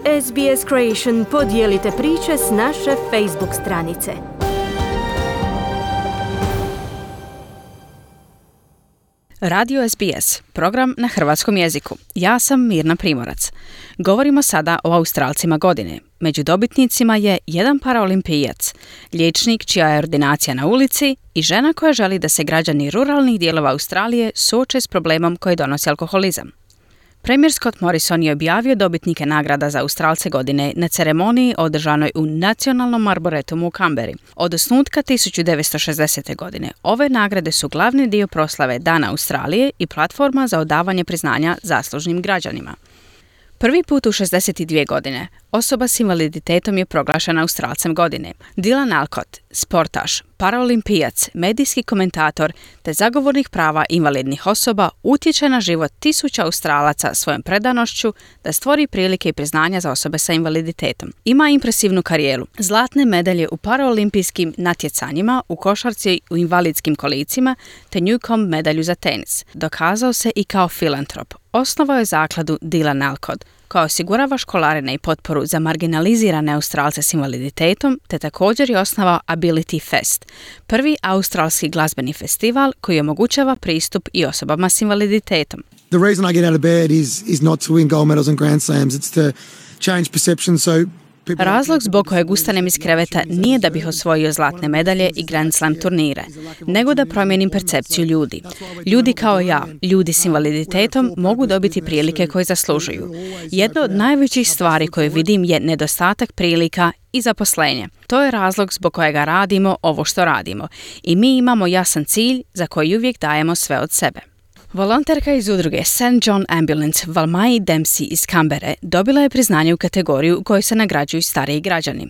SBS Creation podijelite priče s naše Facebook stranice. Radio SBS, program na hrvatskom jeziku. Ja sam Mirna Primorac. Govorimo sada o Australcima godine. Među dobitnicima je jedan paraolimpijac, liječnik čija je ordinacija na ulici i žena koja želi da se građani ruralnih dijelova Australije suoče s problemom koji donosi alkoholizam. Premijer Scott Morrison je objavio dobitnike nagrada za Australce godine na ceremoniji održanoj u Nacionalnom arboretumu u Canberri. Od osnutka 1960. godine ove nagrade su glavni dio proslave Dana Australije i platforma za odavanje priznanja zaslužnim građanima. Prvi put u 62 godine osoba s invaliditetom je proglašena Australcem godine. Dylan Alcott, sportaš, paraolimpijac, medijski komentator te zagovornik prava invalidnih osoba utječe na život tisuća Australaca svojom predanošću da stvori prilike i priznanja za osobe sa invaliditetom. Ima impresivnu karijeru, zlatne medalje u paraolimpijskim natjecanjima, u košarci u invalidskim kolicima te Newcomb medalju za tenis. Dokazao se i kao filantrop. Osnovao je zakladu Dylan Alcott koja osigurava školarine i potporu za marginalizirane Australce s invaliditetom, te također je osnovao Ability Fest, prvi australski glazbeni festival koji omogućava pristup i osobama s invaliditetom. The reason I get out of bed is not to win gold medals and Grand Slams, it's to change perception so Razlog zbog kojeg ustanem iz kreveta nije da bih osvojio zlatne medalje i Grand Slam turnire, nego da promijenim percepciju ljudi. Ljudi kao ja, ljudi s invaliditetom, mogu dobiti prilike koje zaslužuju. Jedna od najvećih stvari koje vidim je nedostatak prilika i zaposlenje. To je razlog zbog kojega radimo ovo što radimo. I mi imamo jasan cilj za koji uvijek dajemo sve od sebe. Volonterka iz udruge St. John Ambulance Valmai Dempsey iz Canberre dobila je priznanje u kategoriju u kojoj se nagrađuju stariji građani.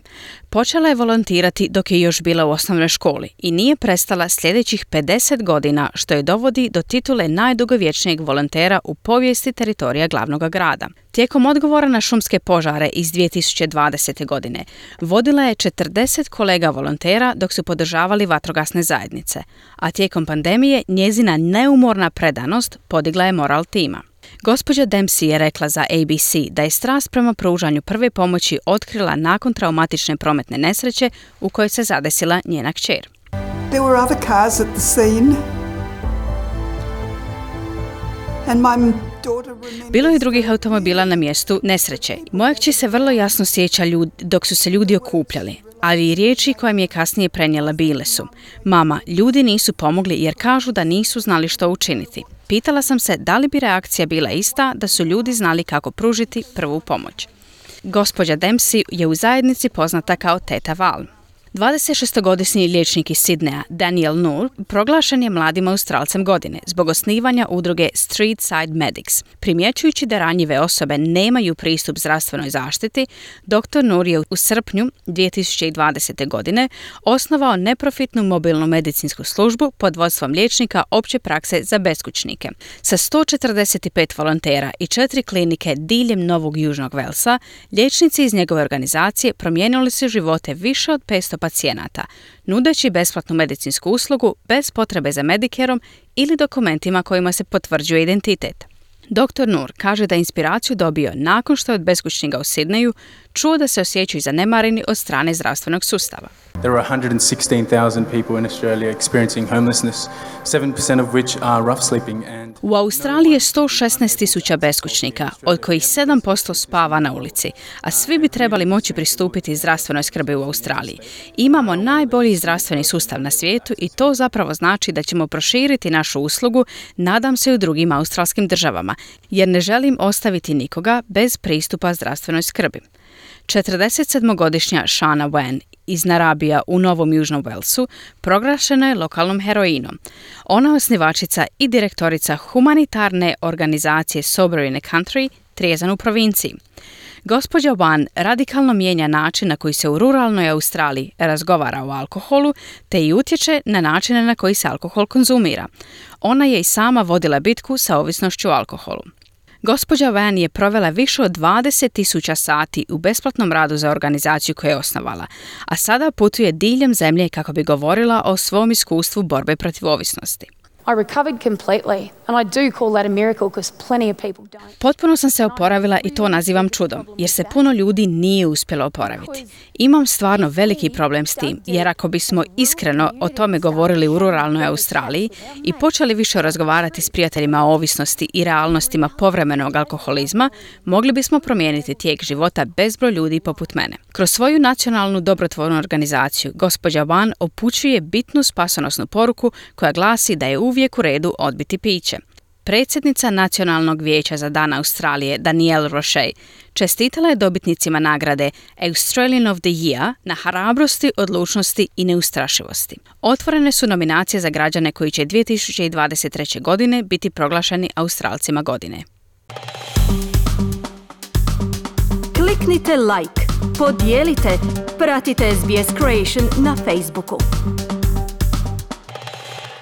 Počela je volontirati dok je još bila u osnovnoj školi i nije prestala sljedećih 50 godina, što je dovodi do titule najdugovječnijeg volontera u povijesti teritorija glavnog grada. Tijekom odgovora na šumske požare iz 2020. godine vodila je 40 kolega volontera dok su podržavali vatrogasne zajednice, a tijekom pandemije njezina neumorna predanost podigla je moral tima. Gospođa Dempsey je rekla za ABC da je strast prema pružanju prve pomoći otkrila nakon traumatične prometne nesreće u kojoj se zadesila njena kćer. There were other cars at the scene. And my Bilo je drugih automobila na mjestu nesreće. Moja kći se vrlo jasno sjeća dok su se ljudi okupljali, ali i riječi koje mi je kasnije prenijela bile su: mama, ljudi nisu pomogli jer kažu da nisu znali što učiniti. Pitala sam se da li bi reakcija bila ista da su ljudi znali kako pružiti prvu pomoć. Gospođa Dempsey je u zajednici poznata kao Teta Val. 26-godišnji liječnik iz Sidneja, Daniel Noor, proglašen je mladim Australcem godine zbog osnivanja udruge Street Side Medics. Primjećujući da ranjive osobe nemaju pristup zdravstvenoj zaštiti, dr. Noor je u srpnju 2020. godine osnovao neprofitnu mobilnu medicinsku službu pod vodstvom liječnika opće prakse za beskućnike. Sa 145 volontera i 4 klinike diljem Novog Južnog Velsa, liječnici iz njegove organizacije promijenili su živote više od 500 pacijenata, nudeći besplatnu medicinsku uslugu bez potrebe za Medicareom ili dokumentima kojima se potvrđuje identitet. Dr. Noor kaže da inspiraciju dobio nakon što je od beskućnika u Sidneju čuo da se osjećaju zanemareni od strane zdravstvenog sustava. There are 116,000 people in Australia experiencing homelessness, 7% of which are rough sleeping and... U Australiji je 116,000 beskućnika, od kojih 7% spava na ulici, a svi bi trebali moći pristupiti zdravstvenoj skrbi u Australiji. Imamo najbolji zdravstveni sustav na svijetu i to zapravo znači da ćemo proširiti našu uslugu, nadam se, u drugim australskim državama, jer ne želim ostaviti nikoga bez pristupa zdravstvenoj skrbi. 47-godišnja Shana Wen iz Narabija u Novom Južnom Velsu proglašena je lokalnom heroinom. Ona je osnivačica i direktorica humanitarne organizacije Sober in a Country, Trijezan u provinciji. Gospođa Wan radikalno mijenja način na koji se u ruralnoj Australiji razgovara o alkoholu, te i utječe na načine na koji se alkohol konzumira. Ona je i sama vodila bitku sa ovisnošću o alkoholu. Gospođa Van je provela više od 20,000 sati u besplatnom radu za organizaciju koju je osnovala, a sada putuje diljem zemlje kako bi govorila o svom iskustvu borbe protiv ovisnosti. I recovered completely. And I do call that a miracle because plenty of people don't. Potpuno sam se oporavila i to nazivam čudom, jer se puno ljudi nije uspjelo oporaviti. Imam stvarno veliki problem s tim, jer ako bismo iskreno o tome govorili u ruralnoj Australiji i počeli više razgovarati s prijateljima o ovisnosti i realnostima povremenog alkoholizma, mogli bismo promijeniti tijek života bezbroj ljudi poput mene. Kroz svoju nacionalnu dobrotvornu organizaciju, gospođa Wan upućuje bitnu spasonosnu poruku koja glasi da je uvijek u redu odbiti piće. Predsjednica Nacionalnog vijeća za Dan Australije, Danielle Roche, čestitala je dobitnicima nagrade Australian of the Year na hrabrosti, odlučnosti i neustrašivosti. Otvorene su nominacije za građane koji će 2023. godine biti proglašeni Australcima godine. Kliknite like, podijelite, pratite SBS Creation na Facebooku.